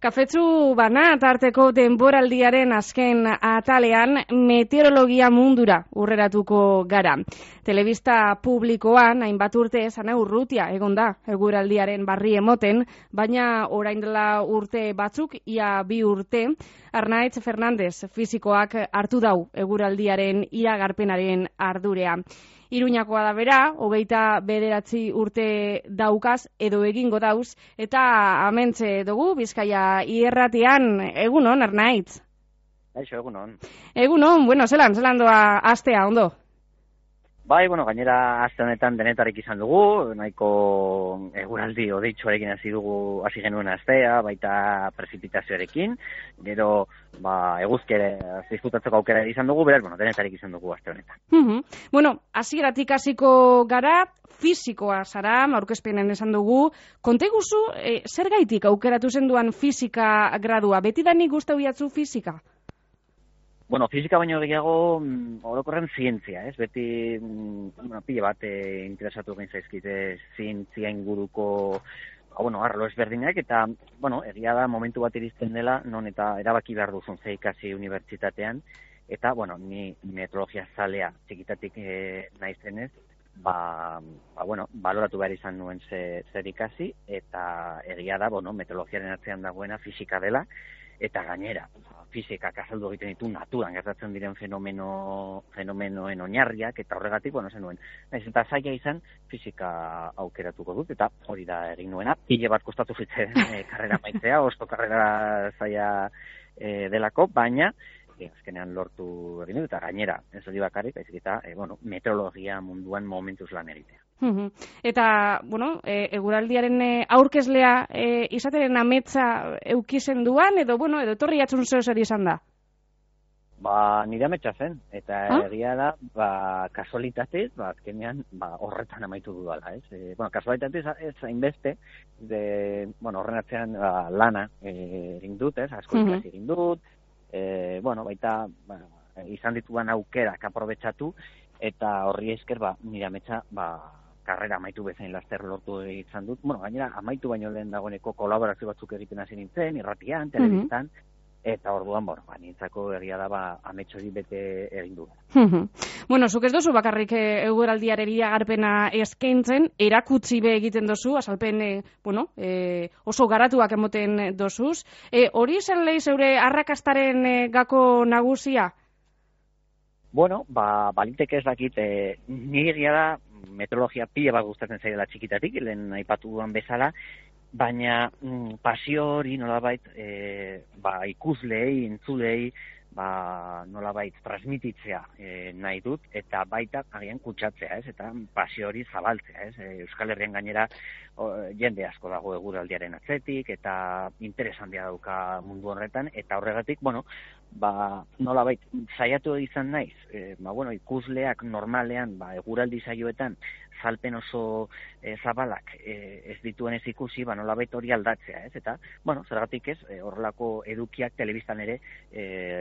Kafetsu bana tarteko denboraldiaren azken atalean meteorologia mundura urreratuko gara. Telebista publikoan hainbat urte Ana Urrutia egon da eguraldiaren barri emoten, baina orain dela urte batzuk, ia 2 urte, Arnaitz Fernandez fisikoak hartu dau eguraldiaren iragarpenaren ardurea. Iruñakoa da bera, 29 urte daukaz edo egingo dauz, eta amentxe dugu Bizkaia irratian. Egunon, Arnaitz? Aixo, egunon. Egunon, bueno, zelan doa astea, ondo? Bai, gainera aste honetan denetarik izan dugu, nahiko eguraldi odeitxoarekin hasi genuen astea, baita prezipitazioarekin, gero eguzkere disfrutatzeko aukera izan dugu, beraz, denetarik izan dugu aste honetan. Hasieratik hasiko gara, fisikoa zara, aurkezpenen esan dugu, konta iguzu, zer gaitik aukeratu zenduan fisika gradua, betidanik gustatu jatzu fisika? Fisika baino gehiago orokorren zientzia, ez? Beti pile bat interesatu gain zaizkite zientzia inguruko arlo ezberdinak, eta egia da momentu bat iristen dela, non eta erabaki behar duzun ze ikasi unibertsitatean, eta ni meteorologia zalea txikitatik naizenez, baloratu behar izan nuen zer ikasi, eta egia da, meteorologiaren atzean dagoena fisika dela, eta gainera, fisikak azaldu egiten ditu naturan gertatzen diren fenomenoen oinarriak, eta horregatik, zenuen. Eta zaila izan, fisika aukeratuko dut, eta hori da egin nuena. Pile bat kostatu zitzen karrera maitzea, osto karrera zaila delako, baina azkenean lortu egin dut, eta gainera, ez hori bakarrik, eta meteorologia munduan momentuz lan egitea. Eta, eguraldiaren aurkezlea izateren ametsa eukizen duan, edo etorri jatzun zer izan da? Nire ametsa zen, eta egia da, kasualitatez, azkenean horretan amaitu dudala, ez? Kasualitatez ez hainbeste, horren atzean lana egin dut, ez? Asko ikasi egin dut, baita izan dituan aukerak aprobetxatu, eta horri esker nire ametsa karrera amaitu bezain laster lortu izan dut. Gainera, amaitu baino lehen dagoeneko kolaborazio batzuk egiten hasi nintzen, irratian, telebistan, eta orduan, nintzako egia da, ametxo hori bete egin du. Zuk ez dozu bakarrik eguraldiaren iragarpena eskaintzen, erakutsi be egiten dozu, azalpen, oso garatuak emoten dozuz. Hori zen lehi zeure arrakastaren gako nagusia? Baliteke ez dakit, nire egia da, meteorologia pile bat gustatzen zaidala txikitatik, lehen aipatu duan bezala, baina pasio hori nolabait ikusleei, entzulei, nolabait transmititzea nahi dut, eta baita agian kutsatzea, ez? Eta pasio hori zabaltzea, ez? Euskal Herrian gainera jende asko dago eguraldiaren atzetik, eta interes handia dauka mundu horretan, eta horregatik, nolabait saiatu izan naiz, ikusleak normalean eguraldi saioetan salpen oso zabalak ez dituen ez ikusi, nolabait hori aldatzea, ez? Eta, zergatik ez, horrelako edukiak telebistan ere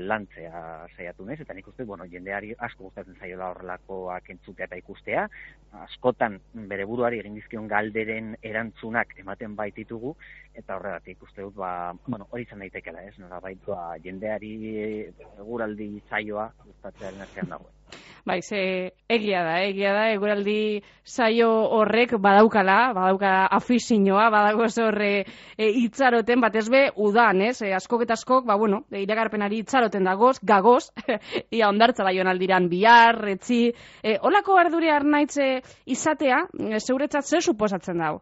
lantzea saiatu naiz, eta nik uste, jendeari asko gustatzen zaiola horrelakoak entzutea eta ikustea, askotan bere buruari egin dizkion galderen erantzunak ematen baititugu, eta horregatik uste dut, hori izan daitekela, ez? Nolabait, jendeari eguraldi saioa gustatzearen artean dagoen. Egia da, eguraldi saio horrek badauka afizioa, badago horre itxaroten, batez be, udan, ez? Askok eta askok, iragarpenari itxaroten dagoz, gagoz, ia ondartza da joan aldiran bihar, etzi, holako ardure Arnaitz izatea, zeuretzat zer suposatzen dago?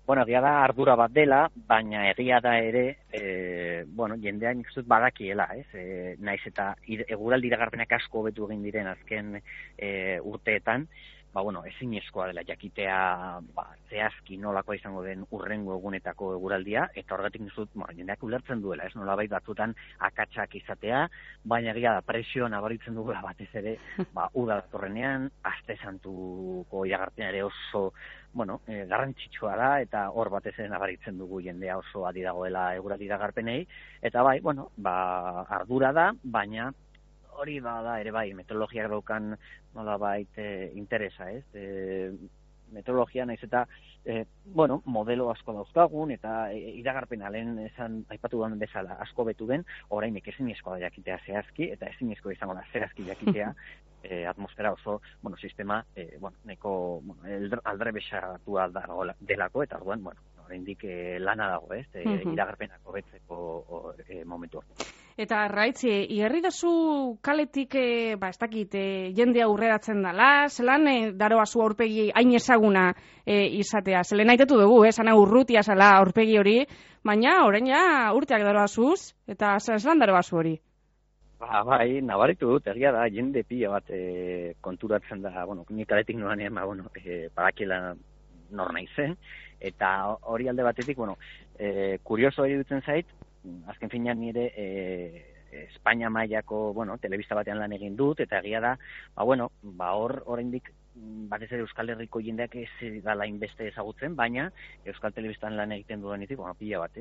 Egia da ardura bat dela, baina egia da ere, jendean nik uste badakiela, ez? Naiz eta eguraldi iragarpenak asko hobetu egin diren azken urteetan, ezinezkoa dela jakitea zehazki nolakoa izango den urrengo egunetako eguraldia, eta horregatik nizut, jendeak ulertzen duela, ez? Nolabait batzutan akatsak izatea, baina egia da presio nabaritzen dugula batez ere, uda datorrenean, aste santuko iragarpena ere oso garrantzitsua da, eta hor batez ere nabaritzen dugu jendea oso adi dagoela eguraldi iragarpenei, eta ardura da, baina hori da ere meteorologiak daukan nolabait interesa, ez? meteorologia naiz eta modelo asko dauzkagun eta iragarpena lehen esan aipatu duan bezala asko betu den, orainik ezinezkoa da jakitea zehazki eta ezinezkoa izango da zehazki jakitea atmosfera oso, sistema neko aldrebesatua delako eta orduan, oraindik lana dago, iragarpenak hobetzeko momentu hori. Eta Arraitz, igarri dazu kaletik, ez dakit, jende aurreratzen dela, zelan daroazu aurpegi hain ezaguna izatea. Zelen aitetu dugu, zana urrutia zela aurpegi hori, baina orain ja urteak daroazuz, eta zelan daroazu hori? Bai, nabaritu dut, egia da, jende pila bat konturatzen da, ni kaletik noranean, badakiela nor naizen, eta hori alde batetik, kurioso iruditzen zait, azken finean nire Espainia mailako, telebista batean lan egin dut, eta egia da, hor oraindik batez ere Euskal Herriko jendeak ez dala inbeste ezagutzen, baina Euskal Telebistan lan egiten dudanetik, pila bat,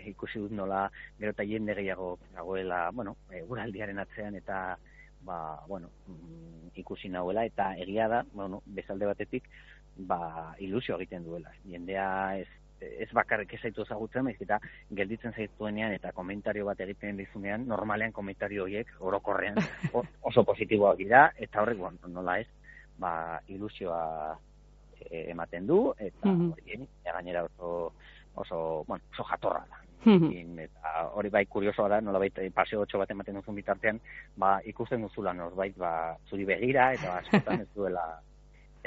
ikusi dut nola gero eta jende gehiago dagoela, eguraldiaren atzean eta, ikusi nahuela, eta egia da, bezalde batetik, ilusio egiten duela. Jendea ez bakarrik ez zaitu ezagutzen, baizik eta gelditzen zaituenean eta komentario bat egiten dizunean, normalean komentario horiek orokorrean oso positiboak dira, eta horrek, nola ez, ilusioa ematen du, eta hori gainera oso jatorra da. Eta hori bai kuriosoa da, nolabait paseo 8 bat ematen duzun bitartean, ikusten duzula norbait zuri begira, eta askotan ez duela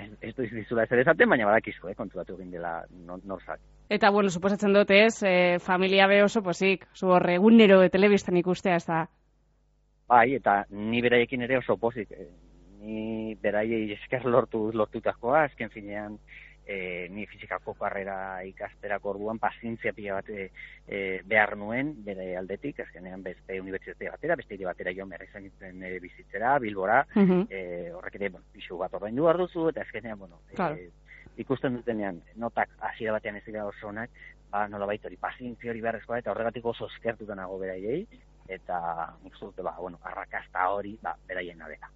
ez dizula ez esaten, baina badakizu, konturatu egin dela norzak. Eta, suposatzen dut familia be oso posik, zu horre, egunero telebistan ikustea ez da. Bai, eta ni beraiekin ere oso posik. Ni beraiei esker lortutakoa, azken finean ni fizikako karrera ikasterako orduan pazientzia pila bat behar nuen bere aldetik, azkenean beste unibertsitate batera, beste hiri batera joan behar izan nintzen bizitzera, Bilbora, horrek ere pisu bat ordaindu behar duzu, eta azkenean, ikusten dutenean, notak hasiera batean ez dira oso onak, nolabait hori pazientzia hori beharrezkoa, eta horregatik oso eskertuta nago beraiei, eta nik uste dut, arrakasta hori, beraien dela.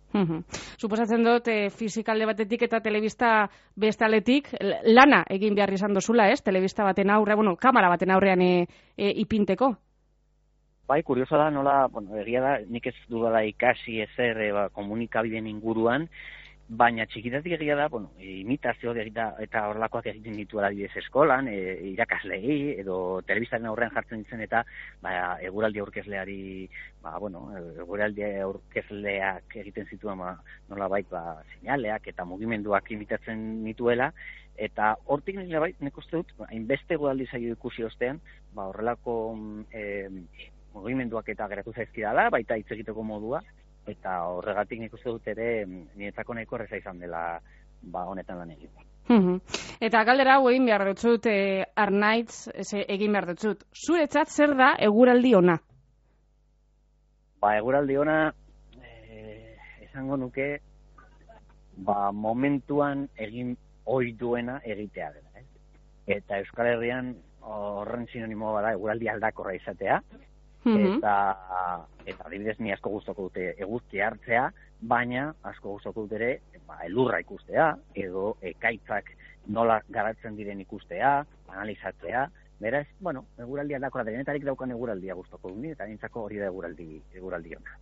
Suposatzen dut, fizikalde batetik eta telebista bestaletik, lana egin behar izan dozula, telebista baten aurrean, kamera baten aurrean ipinteko? Bai, kurioso da, nola, egia da, nik ez dudala ikasi ezer komunikabideen inguruan, baina txikitatik egia da, imitazio eta horrelakoak egiten ditu adibidez eskolan, irakaslei, edo telebistaren aurrean jartzen ditzen eta eguraldi aurkezleari, eguraldi aurkezleak egiten zituen nolabait seinaleak eta mugimenduak imitatzen dituela, eta hortik nik uste dut, hainbeste eguraldi zaio ikusi ostean, horrelako mugimenduak eta geratu zaizkidala, baita hitz egiteko modua, eta horregatik nik uste dut ere niretzako nahiko erreza izan dela honetan lan egiten. Eta galdera hau egin behar dutzut, Arnaitz, egin behar dutzut. Zuretzat zer da eguraldi ona? Eguraldi ona, esango nuke, momentuan egin ohi duena egitea dela. Eta Euskal Herrian horren sinonimo bada eguraldi aldakorra izatea, eta adibidez ni asko gustoko dute eguzkia hartzea, baina asko gustoko dut ere elurra ikustea, edo ekaitzak nola garatzen diren ikustea, analizatzea, beraz, eguraldi aldakora denetarik daukan eguraldia gustoko dut, eta nintzako hori da eguraldi ona.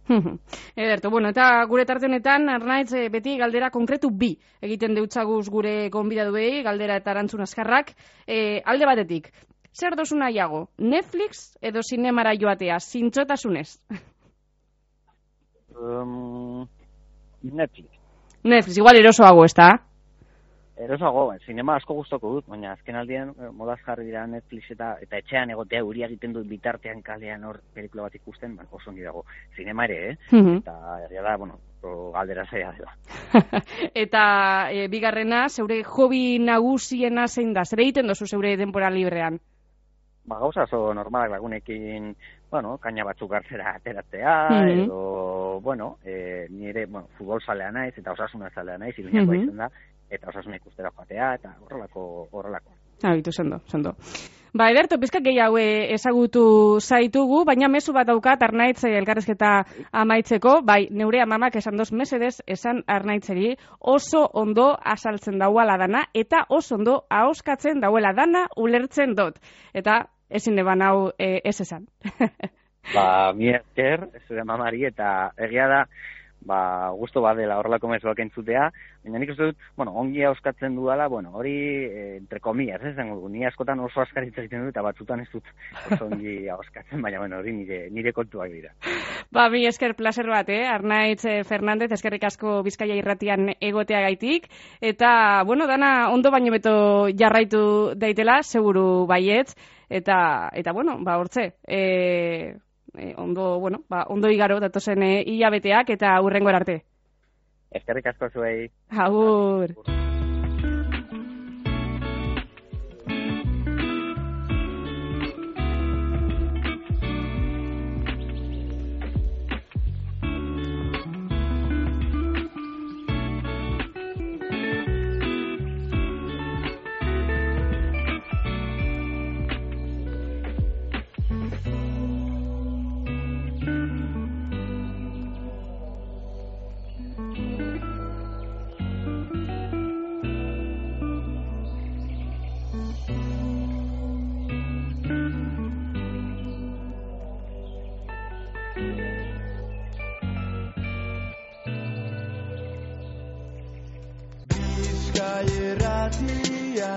Ederto, eta gure tarte honetan, Arnaitz, beti galdera konkretu bi egiten deutzaguz gure gonbidaduei, galdera eta erantzun azkarrak, alde batetik. Zer dozu nahiago, Netflix edo zinemara joatea, zintzotasunez? Netflix, igual erosoago, ez da? Erosoago, zinema asko gustoko dut, baina azken aldean modaz jarri dira Netflix eta etxean egotea euria egiten dut bitartean kalean hor pelikula bat ikusten, oso ongi dago. Zinema ere, eta egia da, galdera zaila dela. Eta bigarrena, zeure hobi nagusiena zein da? Zer egiten dozu zeure denbora librean? Gauza oso normalak lagunekin, kaina batzuk hartzera ateratzea, edo, nire, futbol zalea naiz, eta osasuna zalea naiz, iluñakoa izan da, eta osasuna ikustera joatea, eta horrelako. Habitu, sendo. Ba, Ederto, pizkak gehiago ezagutu zaitugu, baina mezu bat daukat Arnaitz elkarrezketa amaitzeko, bai, neure amamak esan doz mesedez, esan Arnaitzeri oso ondo asaltzen dauela dana, eta oso ondo ahoskatzen dauela dana ulertzen dut. Eta ezin eban hau ez esan. Ba, mi esker, zure mamari, eta egia da, ba, gusto badela horrelako mezuak entzutea, baina nik uste dut, bueno, ongi ahoskatzen dudala, bueno, hori, entre comillas, ni askotan oso askaritza egiten dut, eta batzutan ez dut oso ongi ahoskatzen, baina, bueno, hori nire kontuak dira. Ba, mi esker placer bat, Arnaitz Fernandez, eskerrik asko Bizkaia irratian egotea gaitik, eta, bueno, dana ondo baino beto jarraitu daitela, seguru baietz, eta bueno, ba, hortze, ondo igaro datozen hilabeteak eta hurrengora arte. Eskerrik asko zuei. Agur. Bizkaia irratia